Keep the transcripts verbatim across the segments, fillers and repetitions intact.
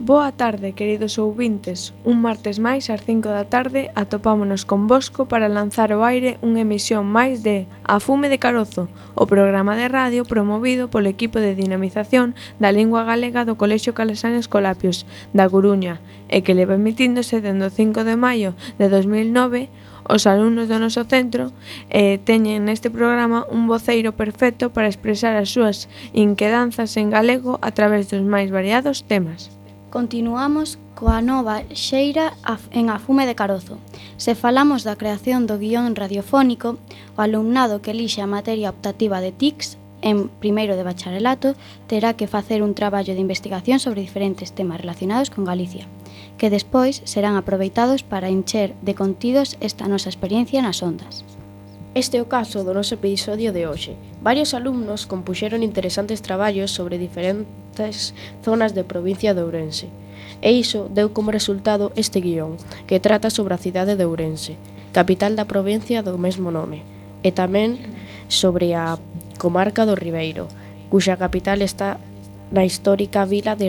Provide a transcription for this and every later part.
Boa tarde, queridos ouvintes. Un martes máis ás cinco da tarde atopámonos con Bosco para lanzar ao aire unha emisión máis de A Fume de Carozo, o programa de radio promovido polo equipo de dinamización da lingua galega do Colexio Calasán Escolapios da Coruña e que leva emitíndose dende o cinco de maio de dos mil nove. Os alumnos do noso centro eh, teñen neste programa un voceiro perfecto para expresar as súas inquedanzas en galego a través dos máis variados temas. Continuamos coa nova xeira en A Fume de Carozo. Se falamos da creación do guión radiofónico, o alumnado que elixe a materia optativa de T I C S en primeiro de bacharelato terá que facer un traballo de investigación sobre diferentes temas relacionados con Galicia, que despois serán aproveitados para encher de contidos esta nosa experiencia nas ondas. Este é o caso do noso episodio de hoxe. Varios alumnos compuxeron interesantes traballos sobre diferentes zonas de provincia de Ourense. E iso deu como resultado este guión, que trata sobre a cidade de Ourense, capital da provincia do mesmo nome, e tamén sobre a comarca do Ribeiro, cuxa capital está na histórica vila de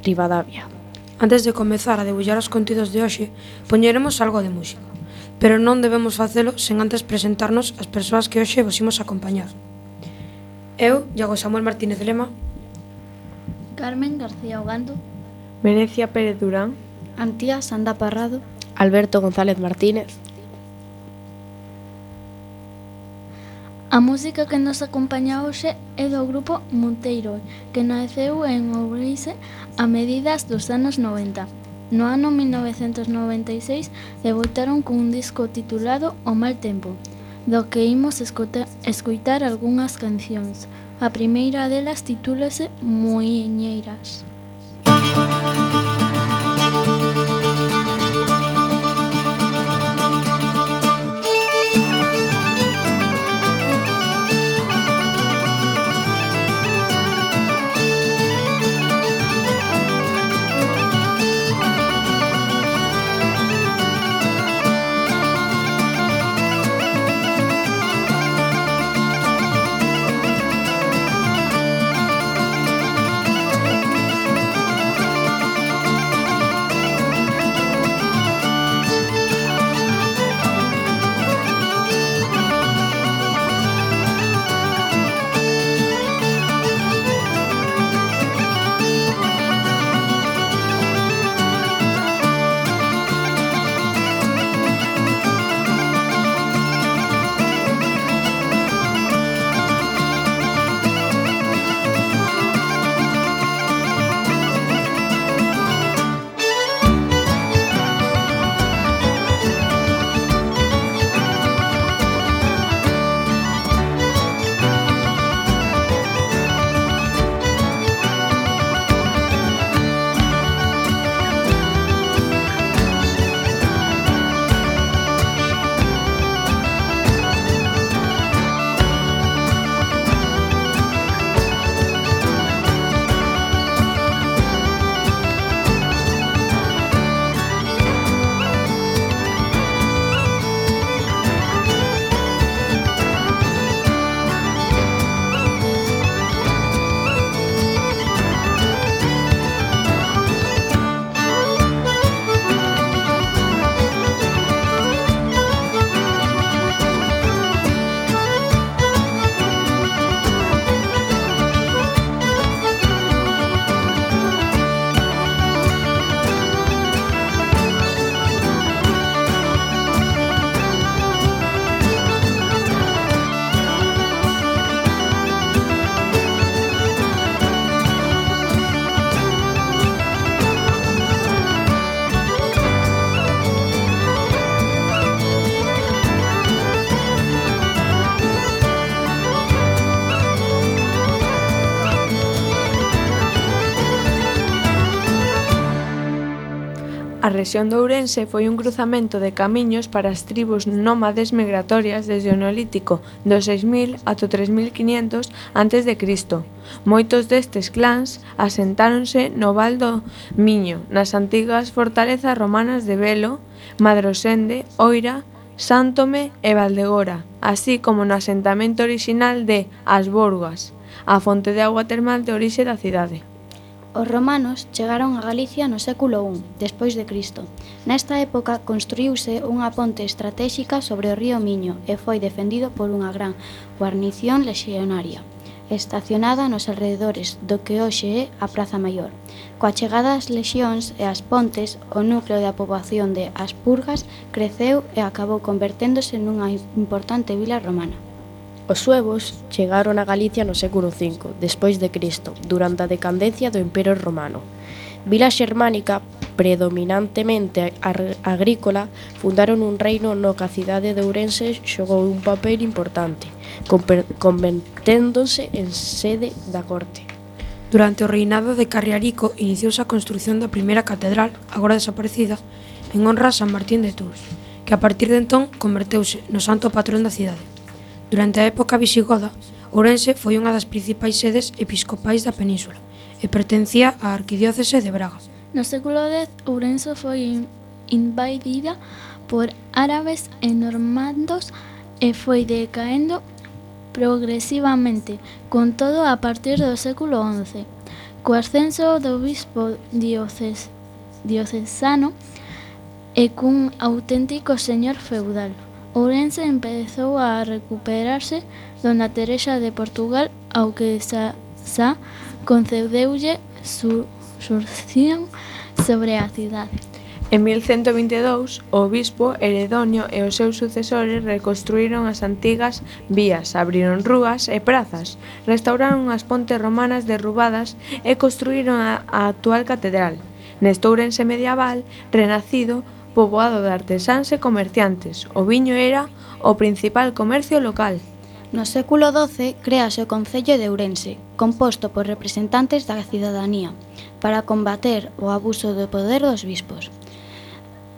Ribadavia. Antes de comezar a debullar os contidos de hoxe, poñeremos algo de música. Pero non debemos facelo sen antes presentarnos as persoas que hoxe vos imos acompañar. Eu, Iago Samuel Martínez Lema, Carmen García Ogando, Venecia Pérez Durán, Antía Sanda Parrado, Alberto González Martínez. A música que nos acompaña hoxe é do grupo Monteiro, que naceu en Ourense a medidas dos anos noventa. No ano mil novecentos noventa e seis debutaron con un disco titulado O Mal Tempo. do que imos escuta, escutar algunhas cancións. A primeira delas titúlase Muiñeiras. A rexión de Ourense foi un cruzamento de camiños para as tribus nómades migratorias desde o Neolítico do seis mil ata o tres mil quinhentos antes de Cristo. Moitos destes clans asentáronse no Val do Miño, nas antigas fortalezas romanas de Velo, Madrosende, Oira, Sántome e Valdegora, así como no asentamento orixinal de As Borgas, a fonte de agua termal de orixe da cidade. Os romanos chegaron a Galicia no século I despois de Cristo. Nesta época construíuse unha ponte estratéxica sobre o río Miño e foi defendido por unha gran guarnición lexionaria, estacionada nos alrededores do que hoxe é a Praza Maior. Coa chegada das lexións e as pontes, o núcleo da poboación de As Purgas creceu e acabou converténdose nunha importante vila romana. Os suevos chegaron a Galicia no século cinco, despois de Cristo, durante a decadencia do Imperio Romano. Vila xermánica, predominantemente agrícola, fundaron un reino no que a cidade de Ourense xogou un papel importante, converténdose en sede da corte. Durante o reinado de Carriarico iniciouse a construción da primeira catedral, agora desaparecida, en honra a San Martín de Tours, que a partir de entón converteuse no santo patrón da cidade. Durante a época visigoda, Ourense foi unha das principais sedes episcopais da península e pertencía á arquidiócese de Braga. No século dez, Ourense foi invadida por árabes e normandos e foi decaendo progresivamente, con todo a partir do século once. Co ascenso do bispo dioces, diocesano e cun auténtico señor feudal, Ourense empezou a recuperarse dona Teresa de Portugal, ao que xa, xa concedeulle su surción sobre a cidade. En mil cento vinte e dous, o bispo Heredonio e os seus sucesores reconstruíron as antigas vías, abriron rúas e prazas, restauraron as pontes romanas derrubadas e construíron a, a actual catedral. Neste Ourense medieval, renacido poboado de artesáns e comerciantes. O viño era o principal comercio local. No século doce créase o Concello de Ourense, composto por representantes da cidadanía, para combater o abuso do poder dos bispos.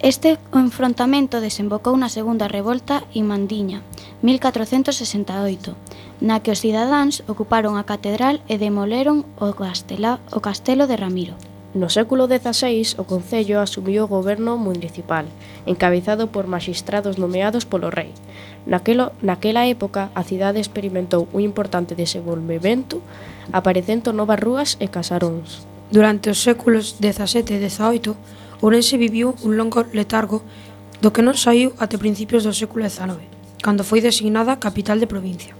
Este enfrontamento desembocou na Segunda Revolta Irmandiña, mil catrocentos sesenta e oito, na que os cidadáns ocuparon a catedral e demoleron o, castela, o castelo de Ramiro. No século dezaseis, o Concello asumiu o goberno municipal, encabezado por maxistrados nomeados polo rei. Naquelo, naquela época, a cidade experimentou un importante desenvolvemento, aparecendo novas rúas e casaróns. Durante os séculos dezasete e dezaoito, Ourense viviu un longo letargo do que non saiu até principios do século dezanove, cando foi designada capital de provincia.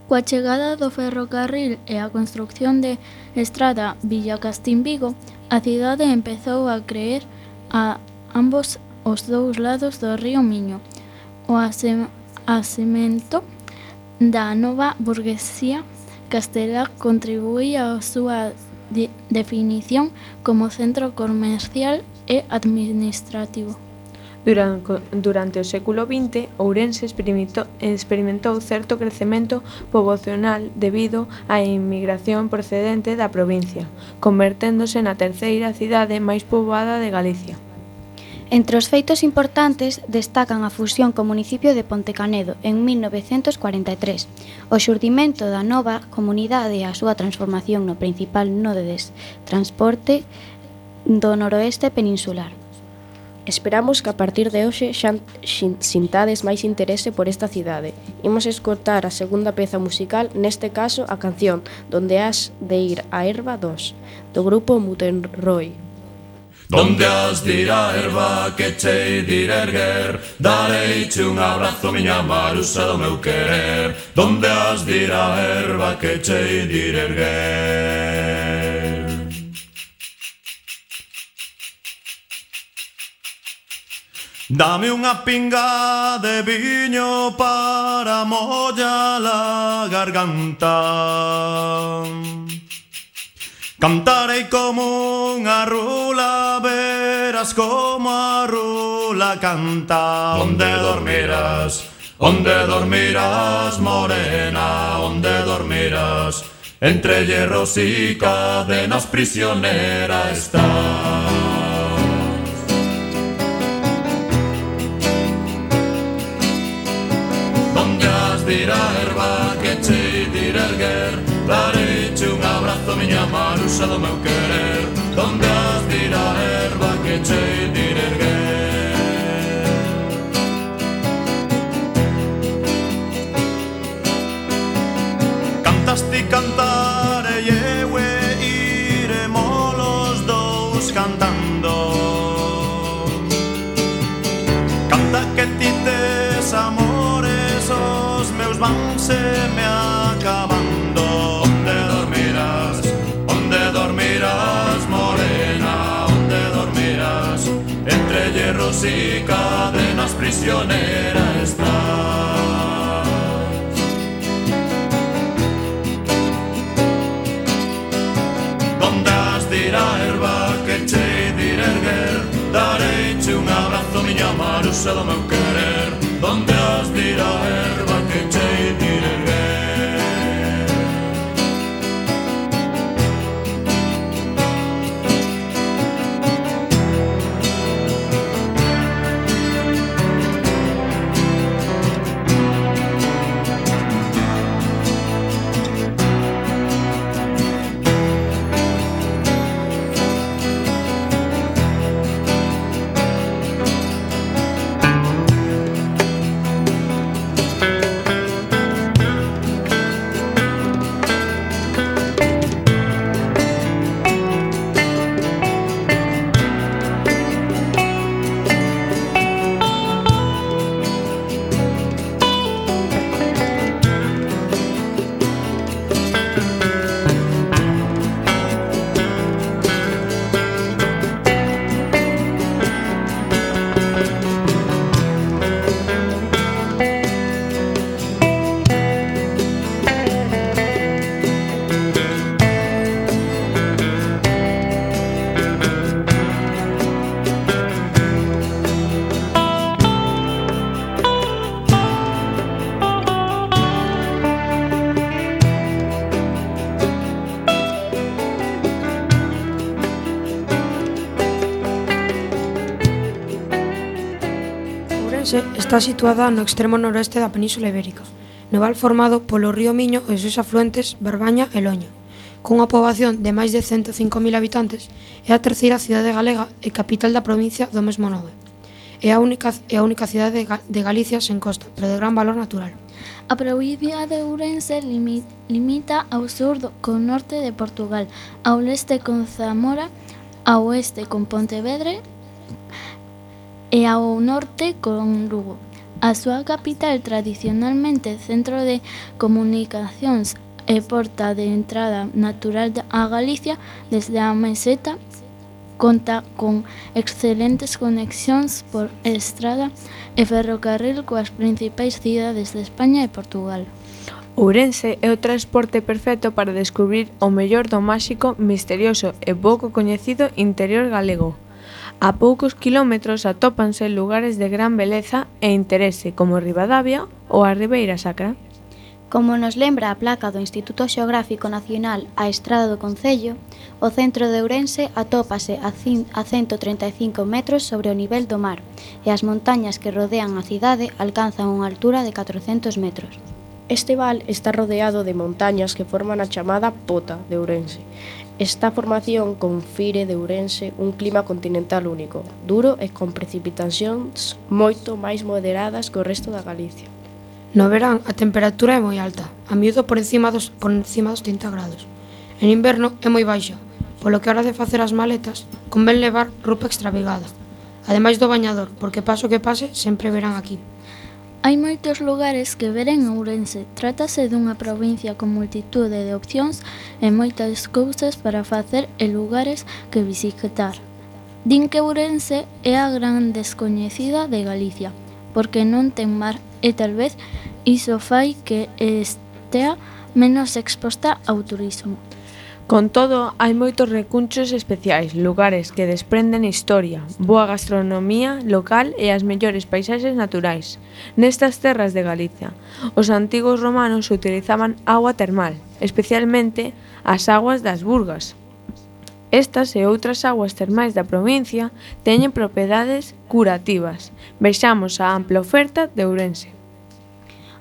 Coa chegada do ferrocarril e a construción de estrada Villacastín-Vigo, a cidade empezou a creer a ambos os dous lados do río Miño. O asemento da nova burguesía castelá contribuía á súa de definición como centro comercial e administrativo. Durante, durante o século vinte, Ourense experimentou, experimentou certo crecemento poboacional debido á inmigración procedente da provincia, converténdose na terceira cidade máis poboada de Galicia. Entre os feitos importantes destacan a fusión co municipio de Pontecanedo en mil novecentos cuarenta e tres, o xurdimento da nova comunidade e a súa transformación no principal nodo de transporte do noroeste peninsular. Esperamos que a partir de hoxe xa sintades máis interese por esta cidade. Imos escoitar a segunda peza musical, neste caso a canción Donde has de ir a erva dos, do grupo Mutenroy. Donde has de ir a erva que chei de ir erguer, dareiche un abrazo miña Marusa do meu querer. Donde has de ir a erva que chei de ir erguer. Dame unha pinga de viño para mollar a garganta. Cantarei como unha rula, verás como a rula canta. Onde dormirás, onde dormirás, morena, onde dormirás, entre hierros y cadenas prisionera estás. Ir a erva que chei de ir erguer, dareiche un abrazo miña Marusa do meu querer. Donde has de ir a erva que chei de ir erguer. Cantaste e cantarei eu e iremos los dous cantando. Canta que ti tes amores, os meus van se me acabando. Onde dormirás, onde dormirás, morena, onde dormirás, entre hierros y cadenas prisionera estás. Donde has de ir a erva que chei de ir erguer, dareiche un abrazo miña Marusa do meu querer. Donde has de ir a erva que chei de ir erguer. Ourense está situada no extremo noroeste da Península Ibérica, no val formado polo río Miño e os seus afluentes Barbaña e Loño. Cunha poboación de máis de ciento cinco mil habitantes, é a terceira cidade galega e capital da provincia do mesmo nome. É a única, é a única cidade de Galicia sen costa, pero de gran valor natural. A provincia de Ourense limi, limita ao sur do, co norte de Portugal, ao leste con Zamora, ao oeste con Pontevedra e ao norte con Lugo. A súa capital, tradicionalmente centro de comunicacións e porta de entrada natural a Galicia desde a meseta, conta con excelentes conexións por estrada e ferrocarril coas principais cidades de España e Portugal. Ourense é o transporte perfecto para descubrir o mellor do máxico, misterioso e pouco coñecido interior galego. A poucos quilómetros atópanse lugares de gran beleza e interese como Ribadavia ou a Ribeira Sacra. Como nos lembra a placa do Instituto Xeográfico Nacional A Estrada do Concello, o centro de Ourense atópase a ciento trinta e cinco metros sobre o nivel do mar e as montañas que rodean a cidade alcanzan unha altura de catrocentos metros. Este val está rodeado de montañas que forman a chamada Pota de Ourense. Esta formación confire de Ourense un clima continental único, duro e con precipitacións moito máis moderadas que o resto da Galicia. No verán a temperatura é moi alta, a miúdo por encima dos, por encima dos trinta grados. En inverno é moi baixa, polo que a hora de facer as maletas convén levar roupa extravagada. Ademais do bañador, porque paso que pase sempre verán aquí. Hai moitos lugares que ver en Ourense. Trátase dunha provincia con multitude de opcións e moitas cousas para facer e lugares que visitar. Din que Ourense é a gran descoñecida de Galicia, porque non ten mar e tal vez iso fai que estea menos exposta ao turismo. Con todo, hai moitos recunchos especiais, lugares que desprenden historia, boa gastronomía local e as mellores paisaxes naturais. Nestas terras de Galicia, os antigos romanos utilizaban agua termal, especialmente as aguas das Burgas. Estas e outras aguas termais da provincia teñen propiedades curativas. Vexamos a ampla oferta de Ourense.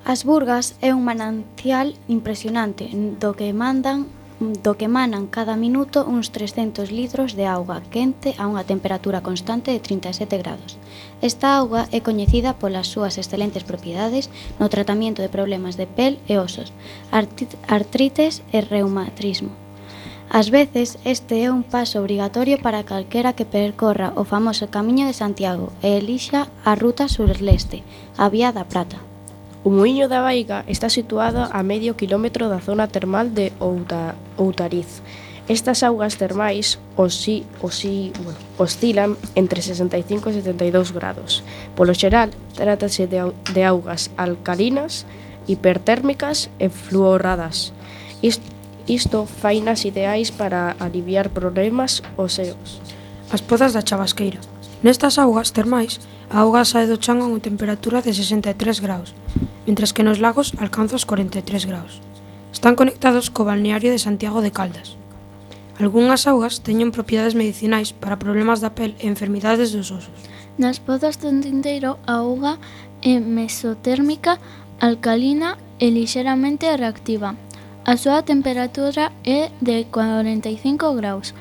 As Burgas é un manancial impresionante do que mandan do que emanan cada minuto uns trescentos litros de auga quente a unha temperatura constante de trinta e sete grados. Esta auga é coñecida polas súas excelentes propiedades no tratamento de problemas de pel e osos, artrites e reumatismo. Ás veces, este é un paso obrigatorio para calquera que percorra o famoso Camiño de Santiago e elixa a ruta sur-leste, a Vía da Prata. O Muíño da Vaiga está situado a medio quilómetro da zona termal de Outa, Outariz. Estas augas termais osi, osi, bueno, oscilan entre sesenta e cinco e setenta e dous grados. Polo xeral, trátase de, de augas alcalinas, hipertérmicas e fluoradas. Isto Isto fainas ideais para aliviar problemas óseos. As pozas da Chabasqueira. Nestas augas termais, a auga sae do chan a unha temperatura de sesenta e tres graus, mentres que nos lagos alcanza os cuarenta e tres graus. Están conectados co balneario de Santiago de Caldas. Algúnas augas teñen propiedades medicinais para problemas da pel e enfermidades dos osos. Nas pozas do Tinteiro, a auga é mesotérmica, alcalina e lixeramente reactiva. A súa temperatura é de cuarenta e cinco graus.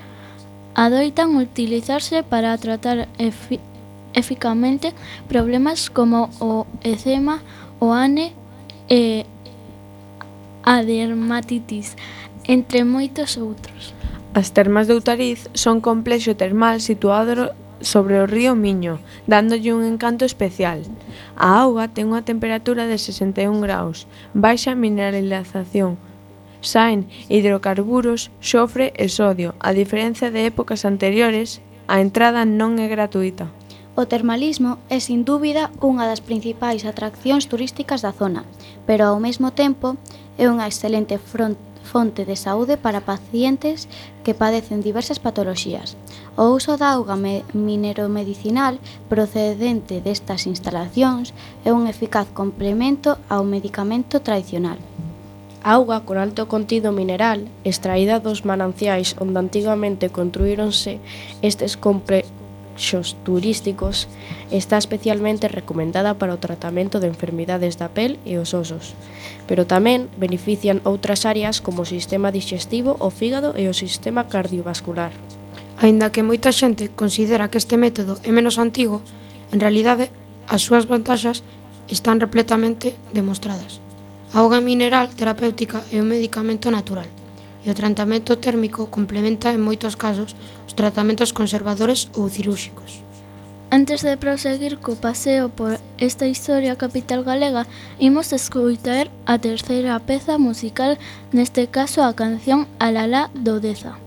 Adoitan utilizarse para tratar efi eficazmente problemas como o eczema, o acné e a dermatitis, entre moitos outros. As termas de Outariz son complexo termal situado sobre o río Miño, dándolle un encanto especial. A auga ten unha temperatura de sesenta e un graus, baixa mineralización, saen hidrocarburos, xofre e sodio. A diferencia de épocas anteriores, a entrada non é gratuita. O termalismo é sin dúbida unha das principais atraccións turísticas da zona, pero ao mesmo tempo é unha excelente fonte de saúde para pacientes que padecen diversas patoloxías. O uso da auga mineromedicinal procedente destas instalacións é un eficaz complemento ao medicamento tradicional. A auga con alto contido mineral, extraída dos mananciais onde antigamente construíronse estes compre atraxos turísticos, está especialmente recomendada para o tratamento de enfermidades da pel e os osos, pero tamén benefician outras áreas como o sistema digestivo, o fígado e o sistema cardiovascular. Aínda que moita xente considera que este método é menos antigo, en realidade as súas vantaxes están repletamente demostradas. A auga mineral terapéutica é un medicamento natural e o tratamento térmico complementa en moitos casos os tratamentos conservadores ou cirúrxicos. Antes de proseguir co paseo por esta historia capital galega, imos escoitar a terceira peza musical, neste caso a canción Alalá do Deza.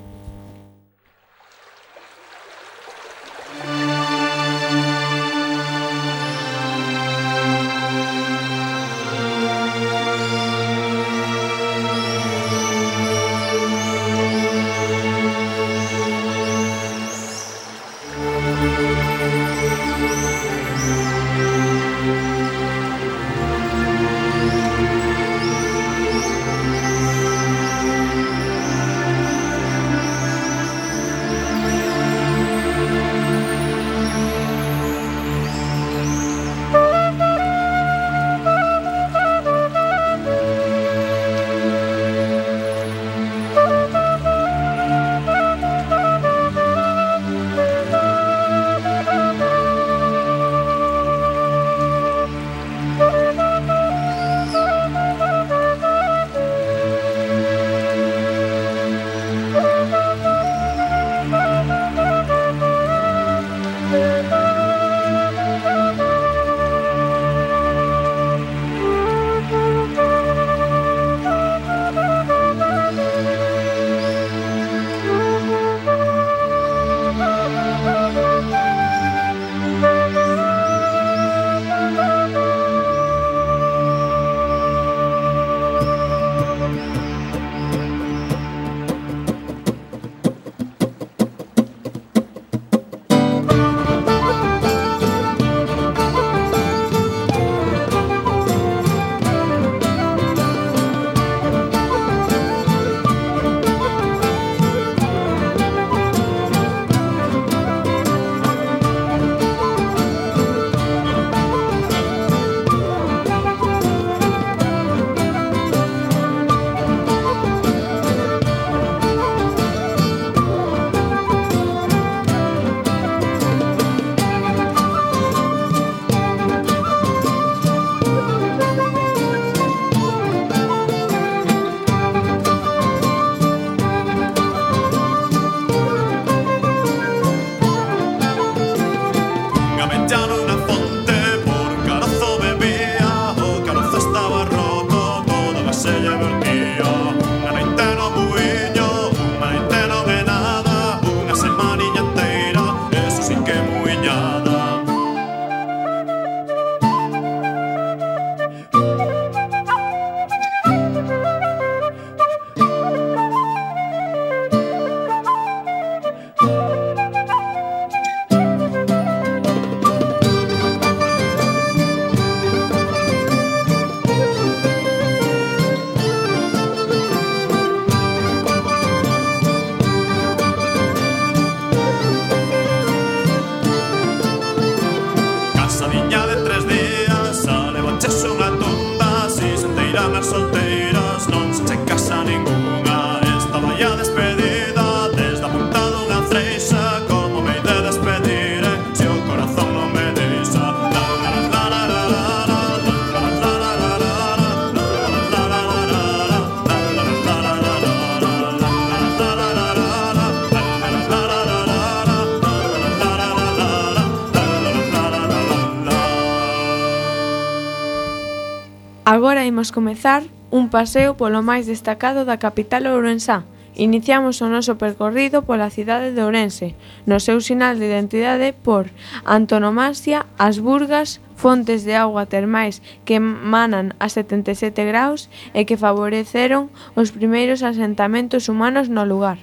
Agora imos comezar un paseo polo máis destacado da capital ourensá. Iniciamos o noso percorrido pola cidade de Ourense, no seu sinal de identidade por antonomasia, as burgas, fontes de auga termais que manan a setenta e sete graus e que favoreceron os primeiros asentamentos humanos no lugar.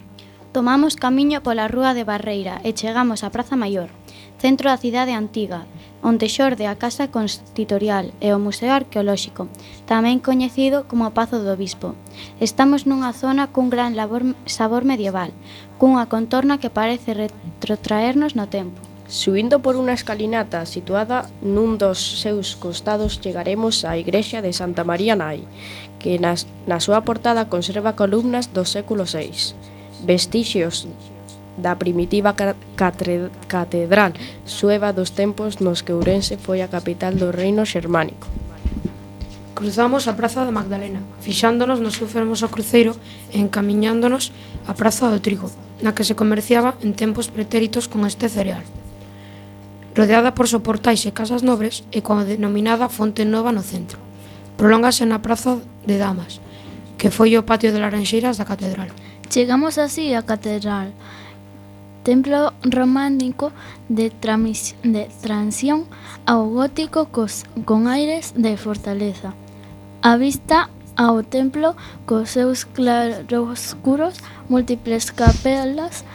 Tomamos camiño pola rúa de Barreira e chegamos á Praza Maior, centro da cidade antiga, onde xorde a Casa Constitorial e o Museo Arqueolóxico, tamén coñecido como Pazo do Bispo. Estamos nunha zona cun gran labor, sabor medieval, cunha contorna que parece retrotraernos no tempo. Subindo por unha escalinata situada nun dos seus costados chegaremos á igrexa de Santa María Nai, que nas, na súa portada conserva columnas do século seis, vestixios da primitiva catre, catedral sueva dos tempos nos que Ourense foi a capital do reino xermánico. Cruzamos a Praza da Magdalena, fixándonos no seu fermoso cruceiro e encamiñándonos á Praza do Trigo, na que se comerciaba en tempos pretéritos con este cereal. Rodeada por soportais e casas nobres e coa denominada Fonte Nova no centro. Prolóngase na Praza de Damas, que foi o patio de laranxeiras da catedral. Chegamos así á catedral, templo románico de, tramis, de transición ao gótico cos, con aires de fortaleza. A vista ao templo cos seus claroscuros, múltiples capelas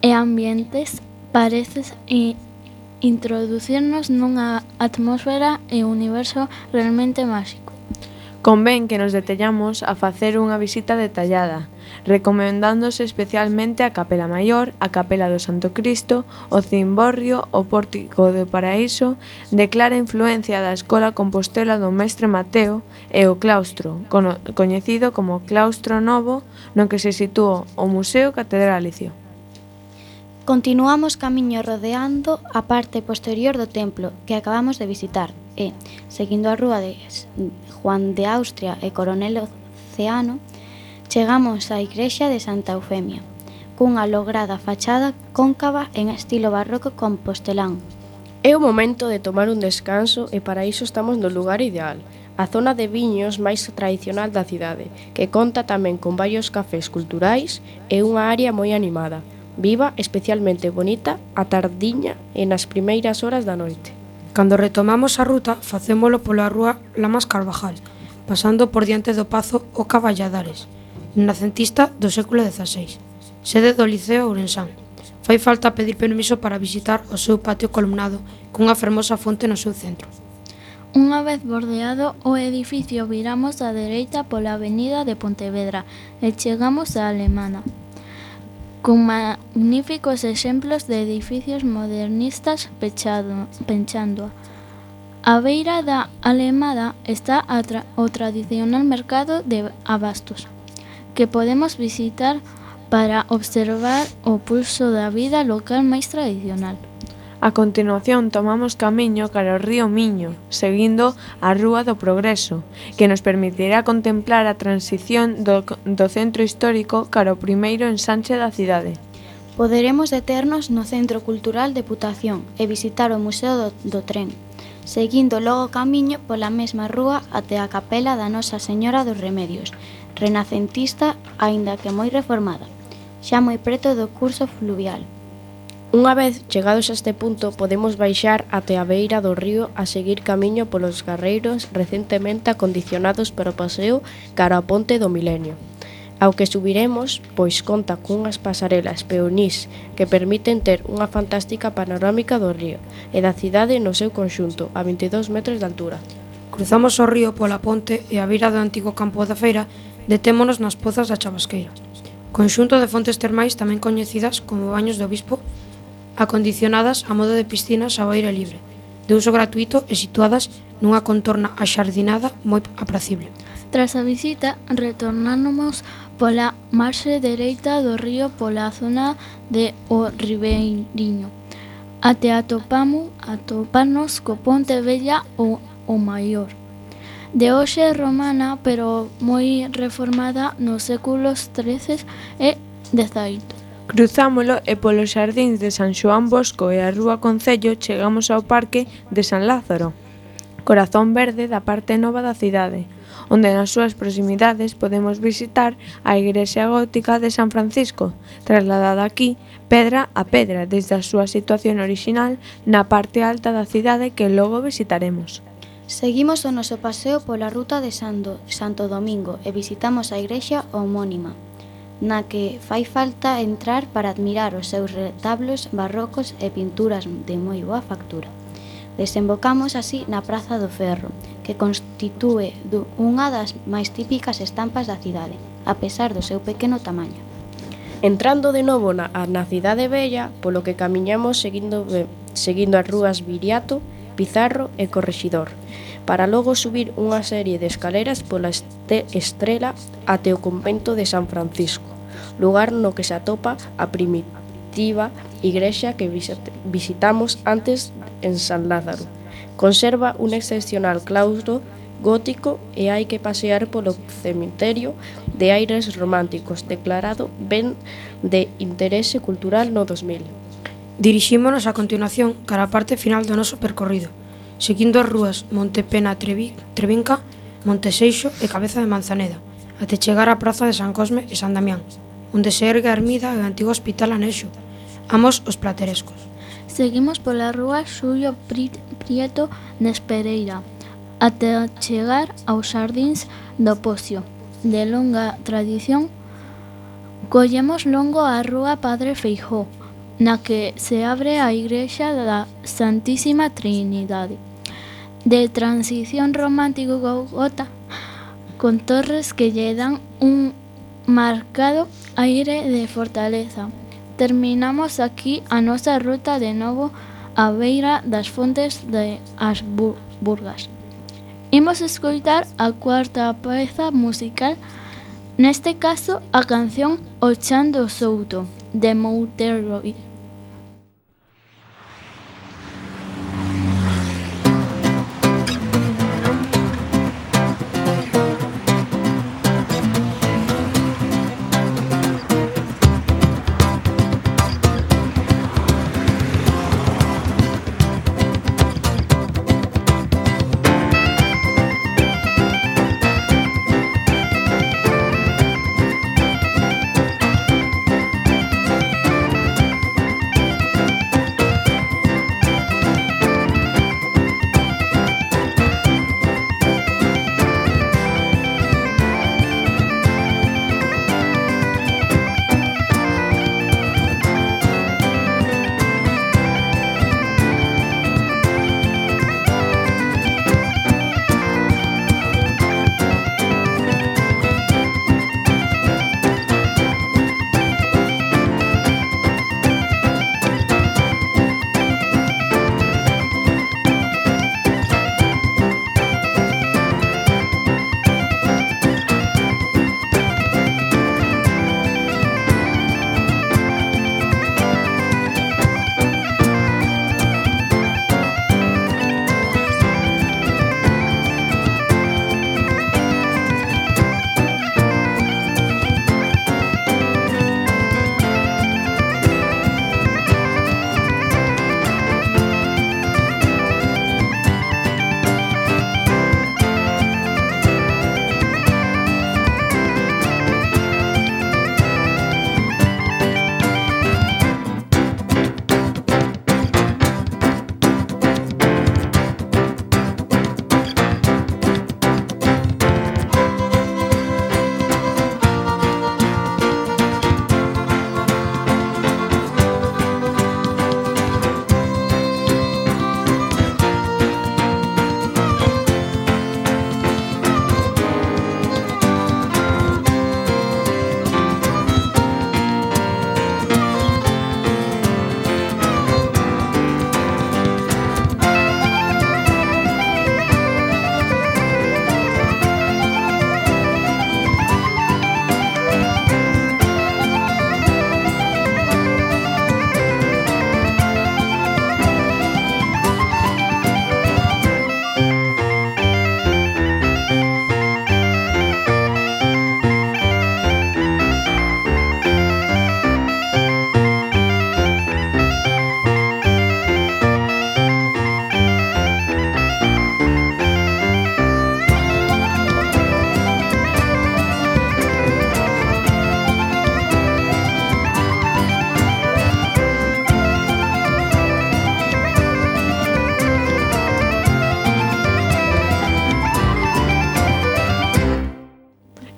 e ambientes pareces e introducirnos nunha atmosfera e universo realmente máxico. Convén que nos detellamos a facer unha visita detallada, recomendándose especialmente a Capela Maior, a Capela do Santo Cristo, o Cimborrio, o Pórtico do Paraíso, de clara influencia da Escola Compostela do Mestre Mateo, e o claustro, coñecido como Claustro Novo, no que se sitúa o Museo Catedralicio. Continuamos camiño rodeando a parte posterior do templo que acabamos de visitar e, seguindo a rúa de Juan de Austria e Coronel Oceano, chegamos á igrexa de Santa Eufemia, cunha lograda fachada cóncava en estilo barroco compostelán. É o momento de tomar un descanso e para iso estamos no lugar ideal, a zona de viños máis tradicional da cidade, que conta tamén con varios cafés culturais e unha área moi animada, viva, especialmente bonita, a tardiña e nas primeiras horas da noite. Cando retomamos a ruta, facémolo pola rúa Lamas Carvajal, pasando por diante do Pazo o Caballadares, renacentista do século dezaseis, sede do Liceo Ourensán. Fai falta pedir permiso para visitar o seu patio columnado cunha fermosa fonte no seu centro. Unha vez bordeado o edificio, viramos á dereita pola avenida de Pontevedra e chegamos á Alemana, con magníficos exemplos de edificios modernistas pechado, penchándoa. A beira da Alemada está a tra o tradicional mercado de abastos, que podemos visitar para observar o pulso da vida local máis tradicional. A continuación tomamos camiño cara ao río Miño, seguindo a Rúa do Progreso, que nos permitirá contemplar a transición do, do centro histórico cara ao primeiro ensanche da cidade. Poderemos deternos no Centro Cultural Deputación e visitar o Museo do, do Tren, seguindo logo camiño pola mesma rúa até a capela da Nosa Señora dos Remedios, renacentista aínda que moi reformada, xa moi preto do curso fluvial. Unha vez chegados a este punto, podemos baixar até a beira do río a seguir camiño polos carreiros recentemente acondicionados para o paseo cara ao Ponte do Milenio. Ao que subiremos, pois conta cunhas pasarelas peonís que permiten ter unha fantástica panorámica do río e da cidade no seu conxunto, a vinte e dous metros de altura. Cruzamos o río pola ponte e a beira do antigo campo da feira detémonos nas pozas da Chabasqueira, conxunto de fontes termais tamén coñecidas como baños do Bispo, acondicionadas a modo de piscinas ao aire libre, de uso gratuito e situadas nunha contorna axardinada moi apracible. Tras a visita, retornamos pola marxe dereita do río pola zona de O Ribeiriño, até atopamos atoparnos co Ponte Vella ou o Maior, de hoxe romana, pero moi reformada nos séculos trece e dezaoito. Cruzámolo e polos xardíns de San Xoán Bosco e a Rúa Concello chegamos ao Parque de San Lázaro, corazón verde da parte nova da cidade, onde nas súas proximidades podemos visitar a igrexa gótica de San Francisco, trasladada aquí pedra a pedra desde a súa situación orixinal na parte alta da cidade que logo visitaremos. Seguimos o noso paseo pola ruta de Santo, Santo Domingo e visitamos a igrexa homónima, na que fai falta entrar para admirar os seus retablos barrocos e pinturas de moi boa factura. Desembocamos así na Praza do Ferro, que constitúe unha das máis típicas estampas da cidade, a pesar do seu pequeno tamaño. Entrando de novo na, na cidade vella, polo que camiñamos seguindo, seguindo as rúas Viriato, Pizarro e Correxidor, para logo subir unha serie de escaleras pola este, Estrela até o convento de San Francisco, lugar no que se atopa a primitiva igrexa que visitamos antes en San Lázaro. Conserva un excepcional claustro gótico e hai que pasear polo cemiterio de aires románticos, declarado ben de interese cultural no dos mil. Dirixímonos a continuación cara a parte final do noso percorrido, seguindo as rúas Montepena Trevinca, Monteseixo e Cabeza de Manzaneda, até chegar á praza de San Cosme e San Damián, onde se ergue a ermida e o antigo hospital anexo, ambos os platerescos. Seguimos pola rúa Xulio Prieto Nespereira, até chegar aos xardíns do Pocio. De longa tradición, collemos longo a rúa Padre Feijóo, na que se abre a igrexa da Santísima Trinidade, de transición romántico gota, con torres que lle dan un marcado aire de fortaleza. Terminamos aquí a nosa ruta de novo á beira das fontes de As Burgas. Imos escoitar a cuarta peza musical, neste caso a canción O Chan do Souto, de Mouteroid.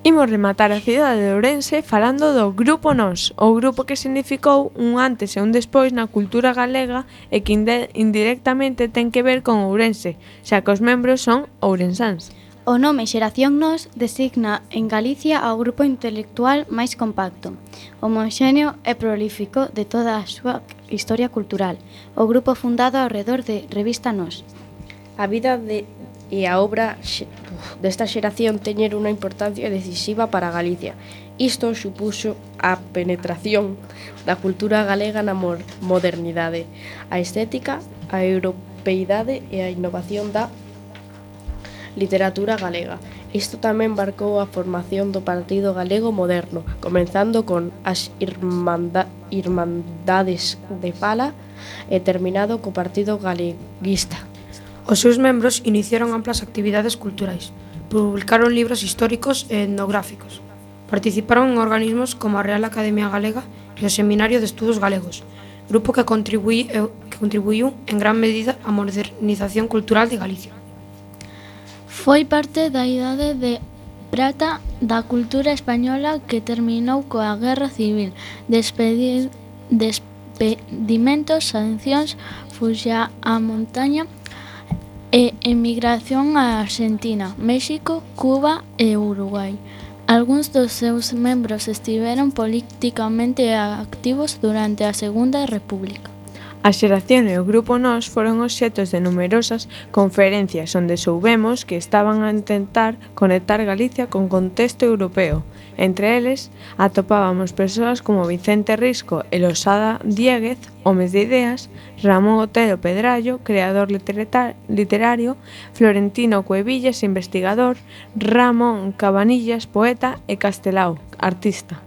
Imos rematar a cidade de Ourense falando do Grupo Nós, o grupo que significou un antes e un despois na cultura galega e que indirectamente ten que ver con Ourense, xa que os membros son ourensáns. O nome Xeración Nós designa en Galicia ao grupo intelectual máis compacto, homoxéneo e prolífico de toda a súa historia cultural, o grupo fundado ao redor de Revista Nós. A vida de, e a obra desta xeración teñen unha importancia decisiva para Galicia. Isto supuxo a penetración da cultura galega na modernidade, a estética, a europeidade e a innovación da literatura galega. Isto tamén marcou a formación do Partido Galego Moderno, comenzando con as irmanda, Irmandades de Fala e terminado co Partido Galeguista. Os seus membros iniciaron amplas actividades culturais, publicaron libros históricos e etnográficos, participaron en organismos como a Real Academia Galega e o Seminario de Estudos Galegos, grupo que contribuiu, que contribuiu en gran medida á modernización cultural de Galicia. Foi parte da idade de prata da cultura española que terminou coa Guerra Civil, despedir, despedimentos, sancións, fuxa á montaña e emigración a Argentina, México, Cuba e Uruguai. Algúns dos seus membros estiveron políticamente activos durante a Segunda República. A xeración e o grupo Nós foron obxetos de numerosas conferencias onde soubemos que estaban a intentar conectar Galicia con contexto europeo. Entre eles, atopábamos persoas como Vicente Risco e Losada Diéguez, homes de ideas, Ramón Otero Pedrallo, creador literario, Florentino Cuevillas, investigador, Ramón Cabanillas, poeta e Castelao, artista.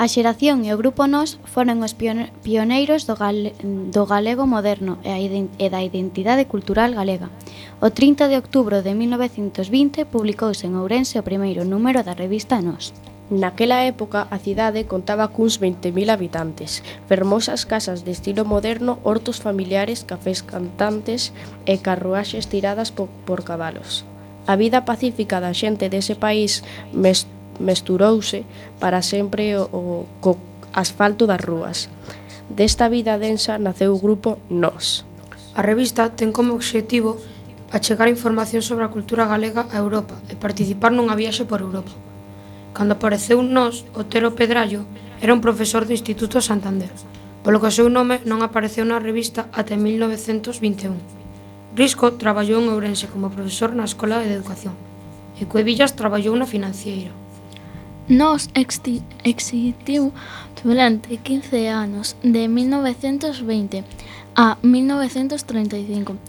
A xeración e o grupo Nós foron os pioneiros do, gale, do galego moderno e, a, e da identidade cultural galega. O trinta de outubro de mil novecentos vinte publicouse en Ourense o primeiro número da revista Nós. Naquela época, a cidade contaba cuns veinte mil habitantes, fermosas casas de estilo moderno, hortos familiares, cafés cantantes e carruaxes tiradas por, por cabalos. A vida pacífica da xente dese país mes, mesturouse para sempre o, o co asfalto das rúas. Desta vida densa naceu o grupo Nós. A revista ten como obxectivo achegar información sobre a cultura galega a Europa e participar nunha viaxe por Europa. Cando apareceu Nós, Otero Pedrallo era un profesor do Instituto Santander, polo que o seu nome non apareceu na revista até mil novecentos vinte e un. Risco traballou en Ourense como profesor na Escola de Educación e Cuevillas traballou na financiera. Nós existiu durante quince anos, de mil novecentos veinte a mil novecentos treinta e cinco.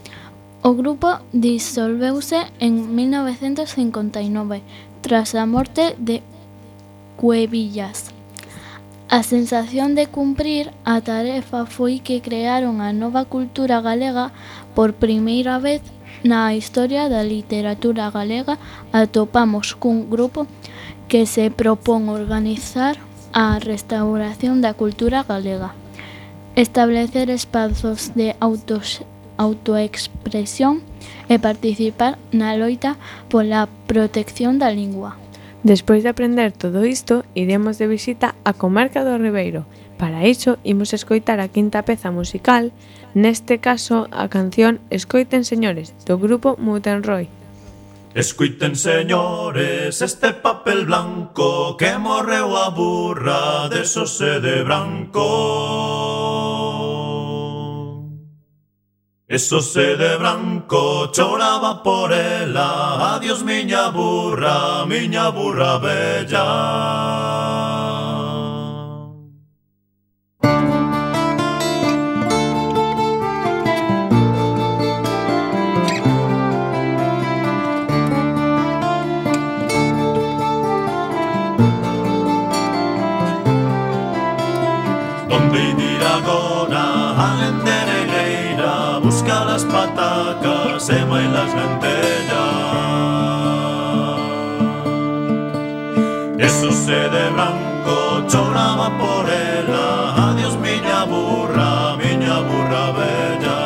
O grupo disolveuse en mil novecentos cincuenta e nove, tras a morte de Cuevillas. A sensación de cumprir a tarefa foi que crearon a nova cultura galega por primeira vez na historia da literatura galega. Atopamos cun grupo que se propón organizar a restauración da cultura galega, establecer espazos de autos, autoexpresión e participar na loita pola protección da lingua. Despois de aprender todo isto, iremos de visita á comarca do Ribeiro. Para iso, imos escoitar a quinta peza musical, neste caso a canción Escoiten Señores, do grupo Mutenroy. Escoiten señores este papel blanco que morreu a burra de Xosé de Branco. E Xosé de Branco choraba por ela, adiós miña burra, miña burra bella. Donde ir agora, alén de Negreira, busca las patacas e mai las lentellas. E Xosé de Branco choraba por ela, adiós miña burra, miña burra bella.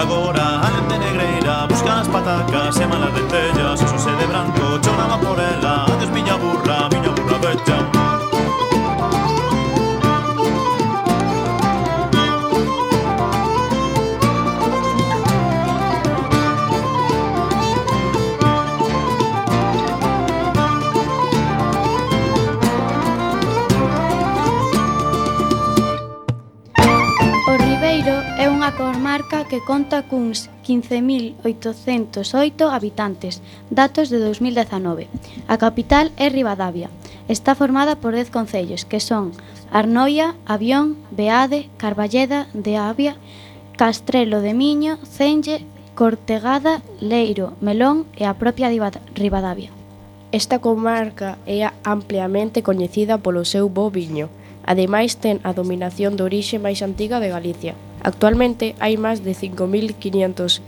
agora a nente negreira busca as patacas e malas lentellas, o sose de branco choraba por ela. Adeus miña burra, miña burra bella. A comarca que conta cuns quince mil oitocentos oito habitantes, datos de dos mil dezanove. A capital é Ribadavia. Está formada por dez concellos, que son Arnoia, Avión, Beade, Carballeda de Avia, Castrelo de Miño, Cenge, Cortegada, Leiro, Melón e a propia Ribadavia. Esta comarca é ampliamente coñecida polo seu bo viño. Ademais, ten a dominación de orixe máis antiga de Galicia. Actualmente hai máis de cinco mil quinhentos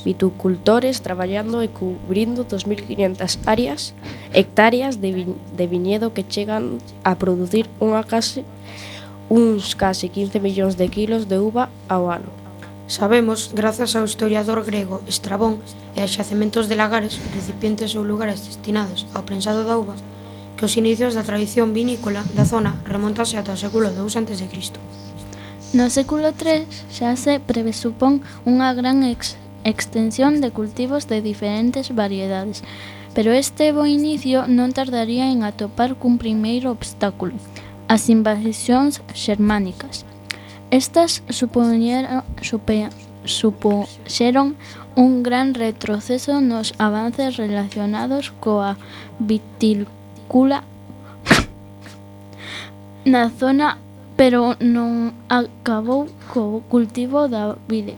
viticultores traballando e cubrindo dos mil quinhentas áreas, hectáreas de, vi, de viñedo que chegan a producir unha case, uns case quince millóns de kilos de uva ao ano. Sabemos, grazas ao historiador grego Estrabón e a xacementos de lagares, recipientes ou lugares destinados ao prensado da uva, que os inicios da tradición vinícola da zona remontase ata o século dous antes de Cristo. No século tres xa se presupón unha gran ex extensión de cultivos de diferentes variedades, pero este bo inicio non tardaría en atopar cun primeiro obstáculo, as invasións xermánicas. Estas supoñeron, supe, supuxeron un gran retroceso nos avances relacionados coa vitícola na zona, pero non acabou co cultivo da vide.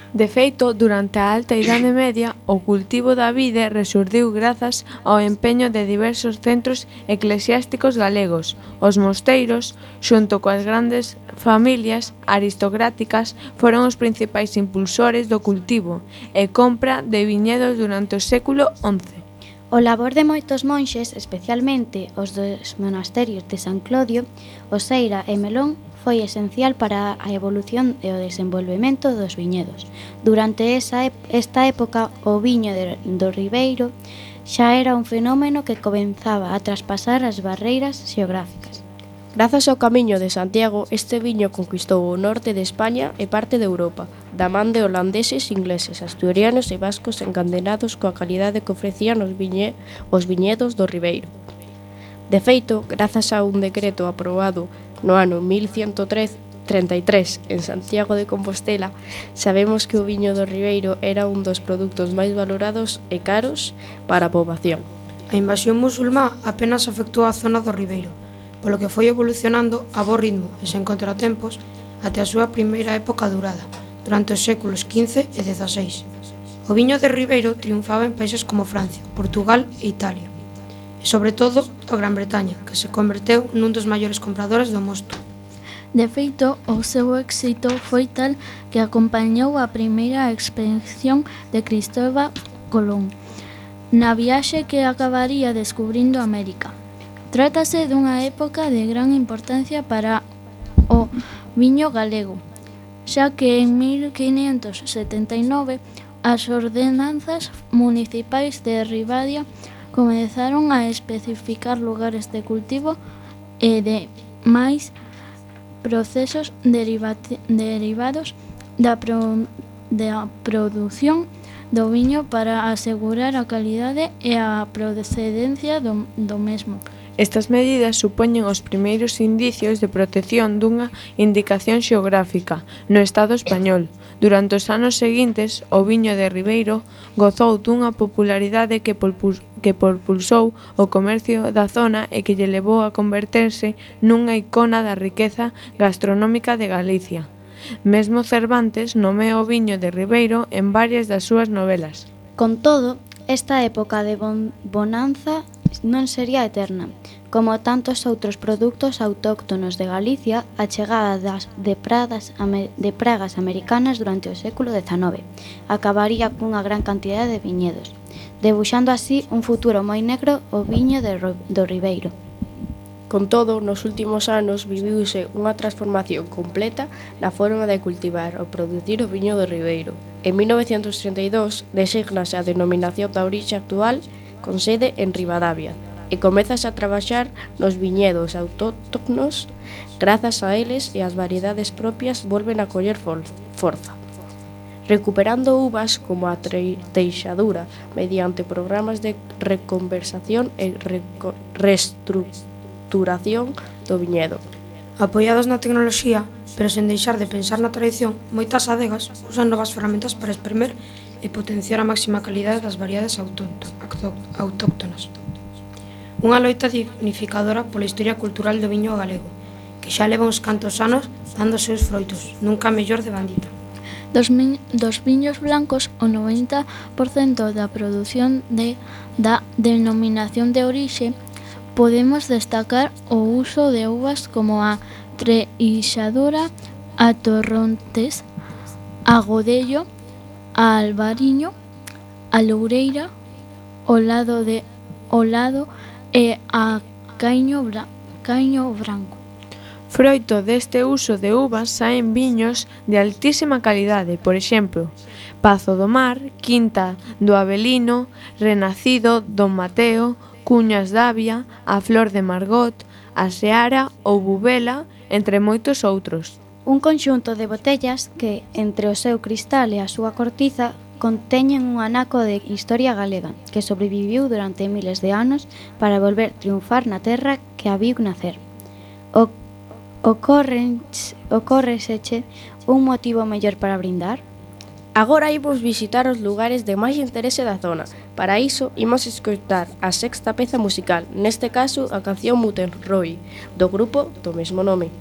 De feito, durante a Alta Idade Media, o cultivo da vide resurdiu grazas ao empeño de diversos centros eclesiásticos galegos. Os mosteiros, xunto coas grandes familias aristocráticas, foron os principais impulsores do cultivo e compra de viñedos durante o século once. O labor de moitos monxes, especialmente os dos monasterios de San Clodio, Oseira e Melón, foi esencial para a evolución e o desenvolvemento dos viñedos. Durante esa, esta época, o viño de, do Ribeiro xa era un fenómeno que comenzaba a traspasar as barreiras xeográficas. Grazas ao Camiño de Santiago, este viño conquistou o norte de España e parte de Europa, da man de holandeses, ingleses, asturianos e vascos encandenados coa calidade que ofrecían os, viñe, os viñedos do Ribeiro. De feito, grazas a un decreto aprobado no ano mil ciento trinta e tres en Santiago de Compostela, sabemos que o viño do Ribeiro era un dos produtos máis valorados e caros para a poboación. A invasión musulmá apenas afectou a zona do Ribeiro, polo que foi evolucionando a bo ritmo e sen contratempos até a súa primeira época durada, durante os séculos quince e dezaseis. O viño de Ribeiro triunfaba en países como Francia, Portugal e Italia, e sobre todo a Gran Bretaña, que se converteu nun dos maiores compradores do mosto. De feito, o seu éxito foi tal que acompañou a primeira expedición de Cristóbal Colón, na viaxe que acabaría descubrindo América. Trátase dunha época de gran importancia para o viño galego, xa que en mil quinhentos setenta e nove as ordenanzas municipais de Ribadia comezaron a especificar lugares de cultivo e de máis procesos derivados da, pro, da produción do viño para asegurar a calidade e a procedencia do, do mesmo. Estas medidas supoñen os primeiros indicios de protección dunha indicación xeográfica no Estado español. Durante os anos seguintes, o viño de Ribeiro gozou dunha popularidade que propulsou o comercio da zona e que lle levou a converterse nunha icona da riqueza gastronómica de Galicia. Mesmo Cervantes nomeou o viño de Ribeiro en varias das súas novelas. Con todo, esta época de bon bonanza non sería eterna. Como tantos outros produtos autóctonos de Galicia, a chegada das de, pradas, de pragas americanas durante o século dezanove acabaría cunha gran cantidade de viñedos, debuxando así un futuro moi negro o viño de, do Ribeiro. Con todo, nos últimos anos viviuse unha transformación completa na forma de cultivar ou producir o viño do Ribeiro. En mil novecentos trinta e dous desígnase a denominación da orixe actual con sede en Ribadavia e comezase a traballar nos viñedos autóctonos. Grazas a eles e as variedades propias volven a coller forza, recuperando uvas como a teixadura mediante programas de reconversación e reestructuración duración do viñedo. Apoiados na tecnoloxía, pero sen deixar de pensar na tradición, moitas adegas usan novas ferramentas para exprimir e potenciar a máxima calidade das variedades autóctonas. Unha loita dignificadora pola historia cultural do viño galego, que xa leva uns cantos anos dando seus froitos, nunca mellor de bandita. Dos, mi, dos viños blancos, o noventa por cento da produción de, da denominación de orixe, podemos destacar o uso de uvas como a treixadura, a torrontés, a godello, a albariño, a loureira, o lado de o lado e a caño, bra, caño branco. Froito deste uso de uvas saen viños de altísima calidade, por exemplo, Pazo do Mar, Quinta do Avelino, Renacido, Don Mateo, Cuñas d'Avia, a Flor de Margot, a Seara ou Bubela, entre moitos outros. Un conxunto de botellas que, entre o seu cristal e a súa cortiza, conteñen un anaco de historia galega que sobreviviu durante miles de anos para volver triunfar na terra que a viu nacer. O, ocórreseche un motivo mellor para brindar? Agora imos visitar os lugares de máis interese da zona. Para iso, imos escoitar a sexta peza musical, neste caso a canción Mutenroy, do grupo do mesmo nome.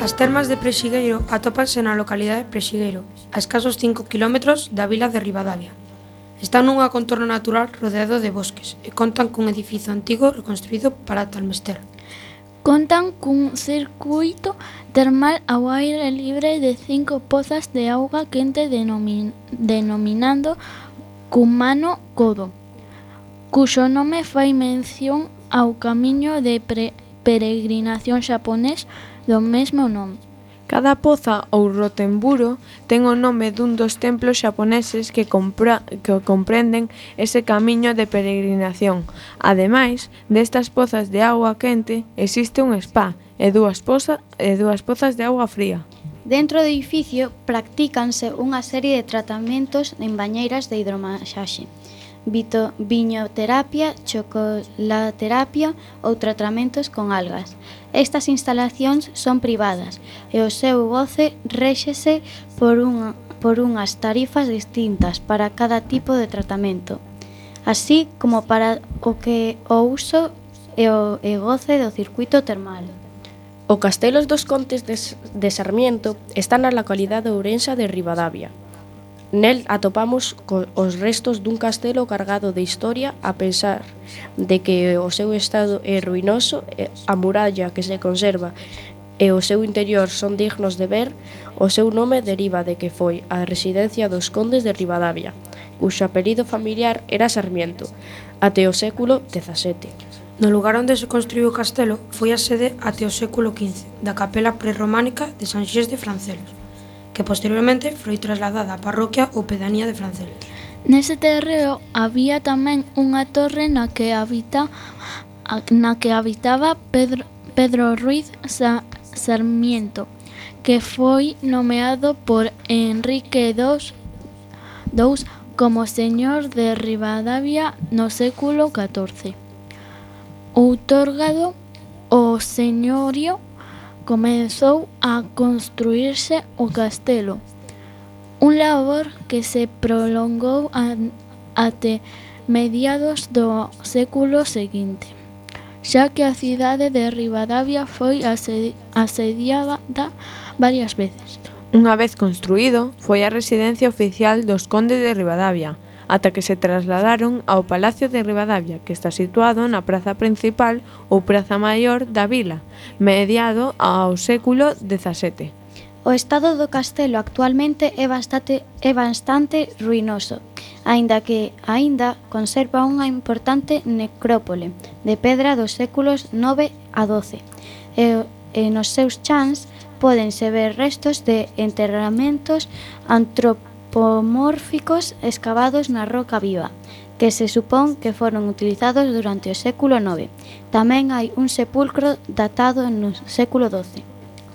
As termas de Prexigueiro atópanse na localidade de Prexigueiro, a escasos cinco quilómetros da vila de Ribadavia. Están nunha contorno natural rodeado de bosques e contan cun edificio antigo reconstruído para tal mester. Contan cun circuito termal ao aire libre de cinco pozas de auga quente denomin, denominando Cumano Codo, cuxo nome fai mención ao camiño de pre, peregrinación xaponés do mesmo nome. Cada poza ou rotemburo ten o nome dun dos templos xaponeses que, compra, que comprenden ese camiño de peregrinación. Ademais destas pozas de auga quente, existe un spa e dúas, poza, e dúas pozas de auga fría. Dentro do edificio practícanse unha serie de tratamentos en bañeiras de hidromasaxe, Vito, viñoterapia, chocolaterapia ou tratamentos con algas. Estas instalacións son privadas e o seu goce réxese por, unha, por unhas tarifas distintas para cada tipo de tratamento, así como para o que o uso e o e goce do circuito termal. O Castelos dos Contes de, de Sarmiento está na localidade ourensa de Ribadavia. Nel atopamos co- os restos dun castelo cargado de historia, a pesar de que o seu estado é ruinoso, e a muralla que se conserva e o seu interior son dignos de ver. O seu nome deriva de que foi a residencia dos condes de Ribadavia, cuxo apelido familiar era Sarmiento, até o século dezasete. No lugar onde se construiu o castelo foi a sede até o século quince da capela prerrománica de San Xés de Francelos, que posteriormente foi trasladada á parroquia ou pedanía de Francelos. Nese terreo había tamén unha torre na que habita na que habitaba Pedro, Pedro Ruiz Sa, Sarmiento, que foi nomeado por Enrique dos, dous como señor de Ribadavia no século catorce. Outorgado o señorío, comezou a construírse o castelo, un labor que se prolongou a, até mediados do século seguinte, xa que a cidade de Ribadavia foi asedi- asediada varias veces. Unha vez construído, foi a residencia oficial dos condes de Ribadavia, ata que se trasladaron ao Palacio de Ribadavia, que está situado na praza principal ou praza maior da vila, mediado ao século dezasete. O estado do castelo actualmente é bastante, é bastante ruinoso, aínda que aínda conserva unha importante necrópole de pedra dos séculos nove a doce, e, e nos seus chans pódense ver restos de enterramentos antropomórficos escavados na roca viva, que se supón que foron utilizados durante o século nove. Tamén hai un sepulcro datado no século doce.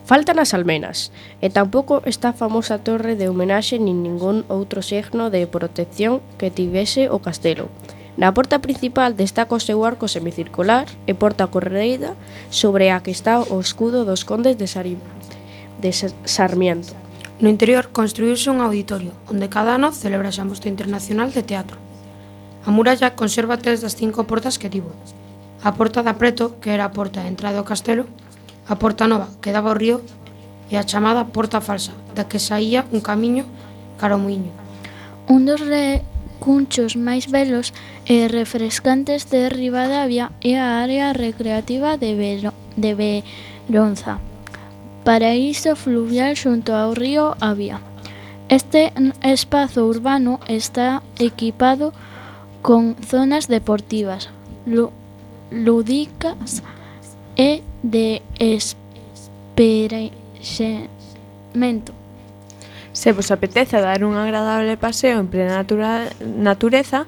Faltan as almenas, e tampouco está a famosa torre de homenaxe nin ningún outro signo de protección que tivese o castelo. Na porta principal destaca o seu arco semicircular e porta corredeira sobre a que está o escudo dos condes de, Sari... de Sarmiento. No interior construíuse un auditorio, onde cada ano celebrase a Mostra Internacional de Teatro. A muralla conserva tres das cinco portas que tivo. A porta da Preto, que era a porta de entrada ao castelo, a porta nova, que daba ao río, e a chamada porta falsa, da que saía un camiño cara ao muiño. Un dos recunchos máis belos e refrescantes de Ribadavia é a área recreativa de, Velo, de Veronza, paraíso fluvial xunto ao río Avia. Este espazo urbano está equipado con zonas deportivas, lúdicas e de esperexemento. Se vos apetece dar un agradable paseo en plena natura, natureza,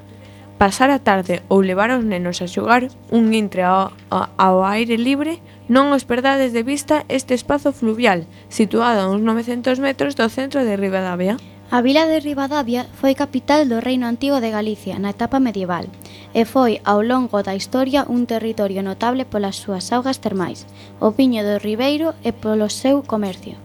pasar a tarde ou levar os nenos a xogar un intre ao, ao aire libre, non os perdades de vista este espazo fluvial, situado a uns novecentos metros do centro de Ribadavia. A vila de Ribadavia foi capital do Reino Antigo de Galicia na etapa medieval e foi ao longo da historia un territorio notable polas súas augas termais, o viño do ribeiro e polo seu comercio.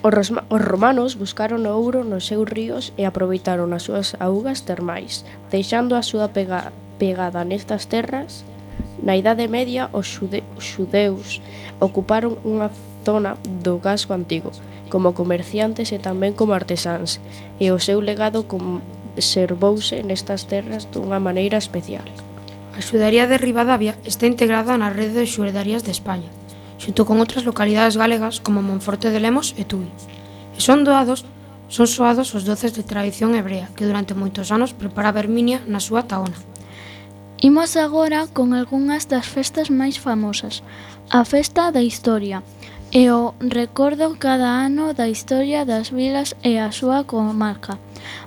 Os, rosma, os romanos buscaron o ouro nos seus ríos e aproveitaron as súas augas termais, deixando a súa pega, pegada nestas terras. Na Idade Media, os xude, xudeus ocuparon unha zona do casco antigo, como comerciantes e tamén como artesáns, e o seu legado conservouse nestas terras dunha maneira especial. A xudaría de Ribadavia está integrada na rede de xudarías de España, xunto con outras localidades galegas como Monforte de Lemos e Tui. E son doados, son soados os doces de tradición hebrea que durante moitos anos preparaba Herminia na súa taona. Imos agora con algunhas das festas máis famosas. A Festa da Historia e o recordo cada ano da historia das vilas e a súa comarca,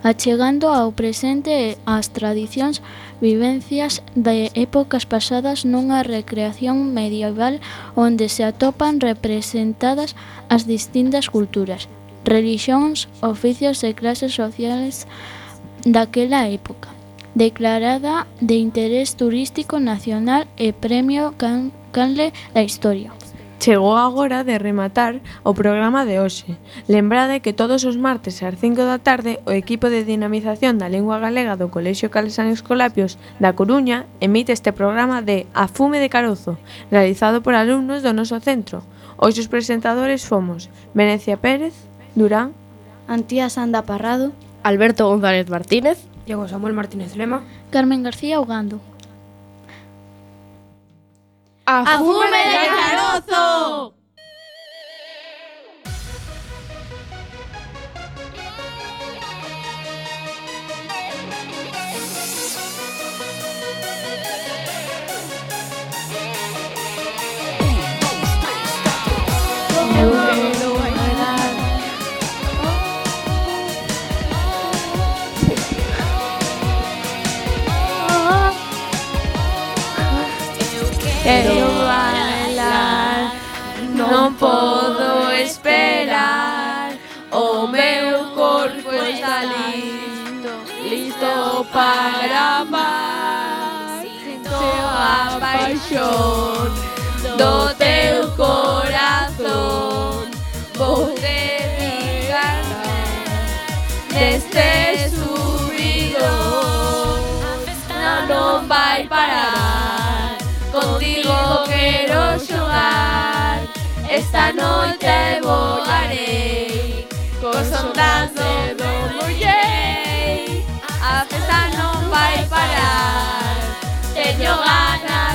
achegando ao presente as tradicións, vivencias de épocas pasadas nunha recreación medieval onde se atopan representadas as distintas culturas, relixións, oficios e clases sociales daquela época, declarada de interés turístico nacional e premio Can- Canle da Historia. Chegou agora de rematar o programa de hoxe. Lembrade que todos os martes ás cinco da tarde o equipo de dinamización da lingua galega do Colexio Cales San Escolapios da Coruña emite este programa de A Fume de Carozo, realizado por alumnos do noso centro. Hoxe os presentadores fomos Venecia Pérez, Durán, Antía Sanda Parrado, Alberto González Martínez, Diego Samuel Martínez Lema. Carmen García Ugando. A fume de carozo! Quero bailar, non podo esperar. O meu corpo está listo, listo para amar. Sinto a paixón do teu corazón. Vou dedicarme neste subidón. Non, non vai parar. Contigo quero xogar. Esta noite volarei cos ondas do mullei. A festa non vai parar. Teño ganas